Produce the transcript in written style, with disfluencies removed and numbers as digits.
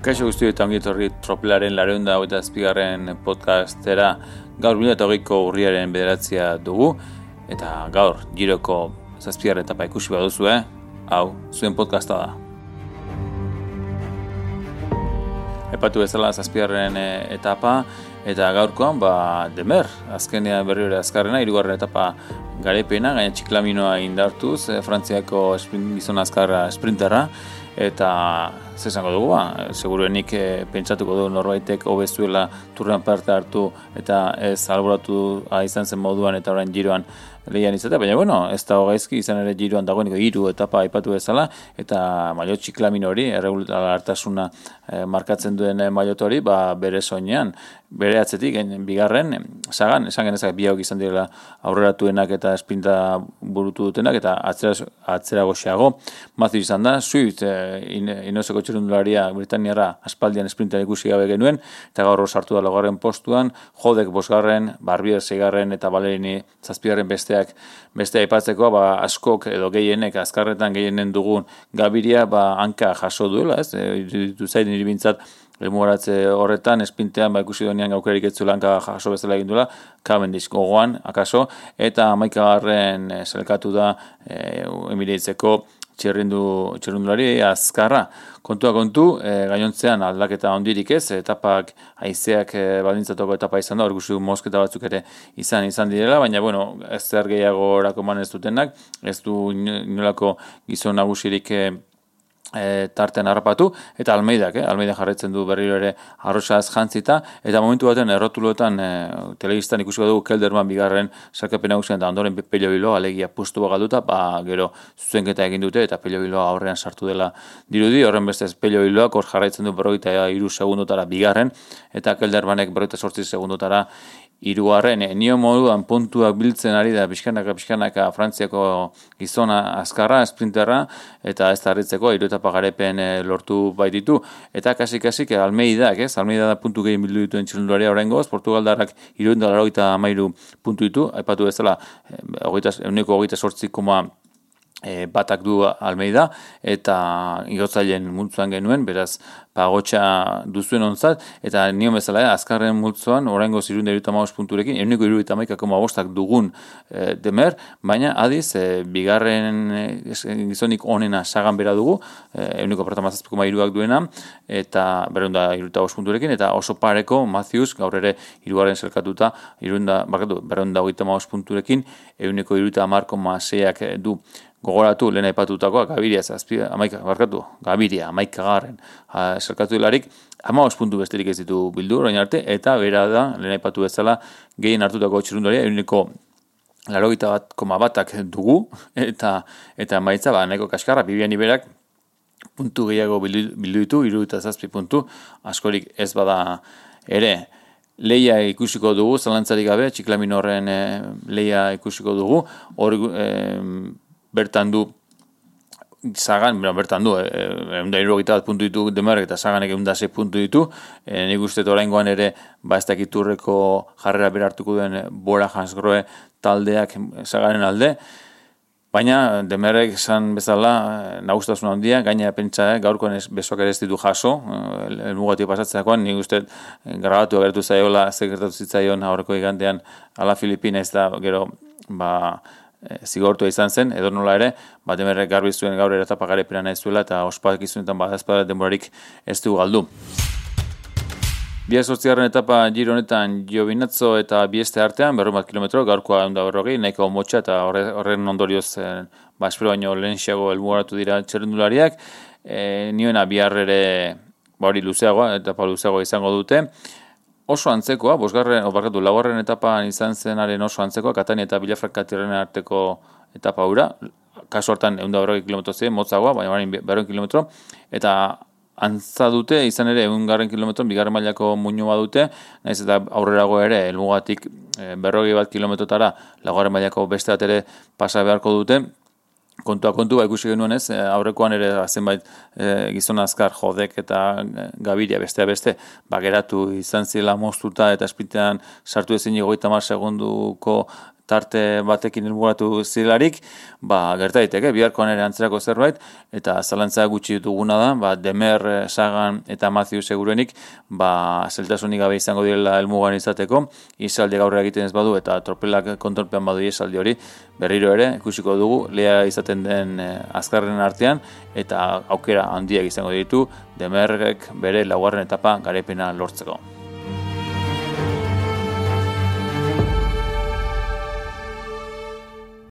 Kaixo guztioi eta ongi etorri Tropelaren 207. podcastera. Gaur 2020ko urriaren 9 dugu eta gaur Giroko 7. etapa ikusi baduzu, hau zuen podcasta da. Epatu bezala 7. etapa eta gaurkoan Demer azkenean berriro azkarrena 3. etapa garepena, gaina txiklaminoa indartuz, Frantziako gizon azkarra sprinterra. Eta zesango dugu, seguruenik pentsatuko du norbaitek hobezuela turrean parte hartu eta ez alboratu izan zen moduan eta orain Giroan lehian izatea, baina ez dago gaizki, izan ere Giroan dagoeneko 3 etapa aipatu bezala, eta maillot txiklamino hori, erregulartasuna markatzen duen maillot hori, bere soinean, bere atzetik, bigarren, sagan, esan genezak biauk izan direla aurreratuenak eta esprinta burutu dutenak, eta atzera goxeago, Matthew izan da, Swift, inoseko txirrindularia Britaniara aspaldian esprintan ikusi gabe genuen, eta gaur sartu da 4. postuan, Jodek 5., Barbier 6. eta Valerini 7. Beste aipatzeko, askok edo gehienek, azkarretan gehienen dugun Gaviria, hanka jaso duela, ez? Ditu zain niri bintzat, elmugaratze horretan, esprintean, ikusi donean gaukerik etzuela hanka jaso bezala egin duela, Cavendish gogoan, akaso, eta 11. Selkatu da Emirateseko txirrindulari azkarra. Kontua kontu, gainontzean aldaketa ondirik ez, etapak haizeak baldintzatoko etapa izan da, hor gustu mosketa batzuk ere izan direla, baina ez zer gehiago erakoman ez dutenak, ez du inolako gizon nagusirik tartean harrapatu, eta Almeida jarraitzen du berriro ere arrosaz jantzita, eta momentu baten errotuloetan telebistan ikusiko dugu Kelderman 2. sarkapen nagusian eta ondoren Pello Bilbao alegia pustu galduta, gero zuzenketa egin dute eta Pello Bilbao aurrean sartu dela dirudi, horren bestez Pello Bilbaoak hor jarraitzen du 43 segundotara 2. eta Keldermanek 48 segundotara 3. Nio moduan puntuak biltzen ari da pixkanaka Frantziako gizona azkarra, sprinterra, eta ez tarritzeko 3 etapa garepen lortu baititu. Eta kasik Almeidak, Almeida da puntu gehien bildu dituen txirrindularia oraingoz, Portugaldarrak 393 puntu ditu, aipatu bezala 28,8 batak du Almeida, eta igotzaileen multzoan genuen, beraz, pagotxa duzuen ontzat, eta nion bezala, azkarren multzoan, oraingo 375 punturekin, 171,5 dugun Demer, baina adiz, bigarren gizonik onena sagan bera dugu, 1,7,3 duena, eta 275 punturekin, eta oso pareko Matthews, gaur ere 3. selkatuta, 275 punturekin, 1,3,6 du. Gogoratu, lehen aipatutakoa, Gaviria 11. Selkatu hilarik, 15 puntu besterik ez ditu bildu, orain arte, eta bera da, lehen aipatu bezala, gehien hartutako txirrindularia, 81,1 dugu, eta maitza, nahiko kaskarra, Bibian Iberak, puntu gehiago bildu ditu, 77 puntu, askorik ez bada ere. Leia ikusiko dugu, zalantzarik gabe, txiklamino horren leia ikusiko dugu, hor bertan du Sagan, bertan du, 171 puntu ditu Demarek eta Saganek 106 puntu ditu, nik uste oraingoan ere, ez dakiturreko jarrera berartuko duen Bora Hansgrohe taldeak Saganen alde, baina Demarek esan bezala nagusitasuna handia, gaina pentsa gaurkoan besoak ere ez ditu jaso, elmugatio pasatzeakoan, nik uste grabatu agertu zaiola, gertatu zitzaion aurreko igandean ala Filipina ez da gero, zigortua izan zen, edo nola ere, Demerrek garbi zuen gaur etapa garepena nahi zuela, eta ospakizunetan badazpada denborarik ez du galdu. 8. etapa Giro honetan Giovinazzo eta Bieste artean, 40 kilometro, gaurkoa 140, nahiko motxa, eta horren ondorioz, espero baino lehenxiago helmugaratu dira txerrendulariak, nioena bihar ere, hori luzeagoa, etapa luzeagoa izango dute, oso antzekoa, 4. etapan izan zenaren oso antzekoa, Katania eta Villafranca-Tirrenen arteko etapa hura, kasu hartan 140 kilometro ziren, motzagoa, baina 100 kilometro, eta antza dute, izan ere 100 kilometron, 2. mailako muinua dute, nahiz eta aurrerago ere, helmugatik 41 kilometrotara, 2. mailako beste bat ere pasa beharko dute, kontua ikusi genuen ez, aurrekoan ere zenbait gizon azkar Jodek eta Gaviria beste, geratu izan zela moztuta eta esprintean sartu ezin 30 segunduko tarte batekin helburatu zirelarik, gerta daiteke, biharkoan ere antzerako zerbait, eta zalantza gutxi duguna da, Demer, Sagan eta Matthew seguruenik, zeltasunik gabe izango direla helmugan izateko, ihesaldi gaurra egiten ez badu, eta tropelak kontrolpean badu ihesaldi hori, berriro ere, ikusiko dugu, lea izaten den azkarren artean, eta aukera handiak izango ditu, Demerrek bere laugarren etapa garaipena lortzeko.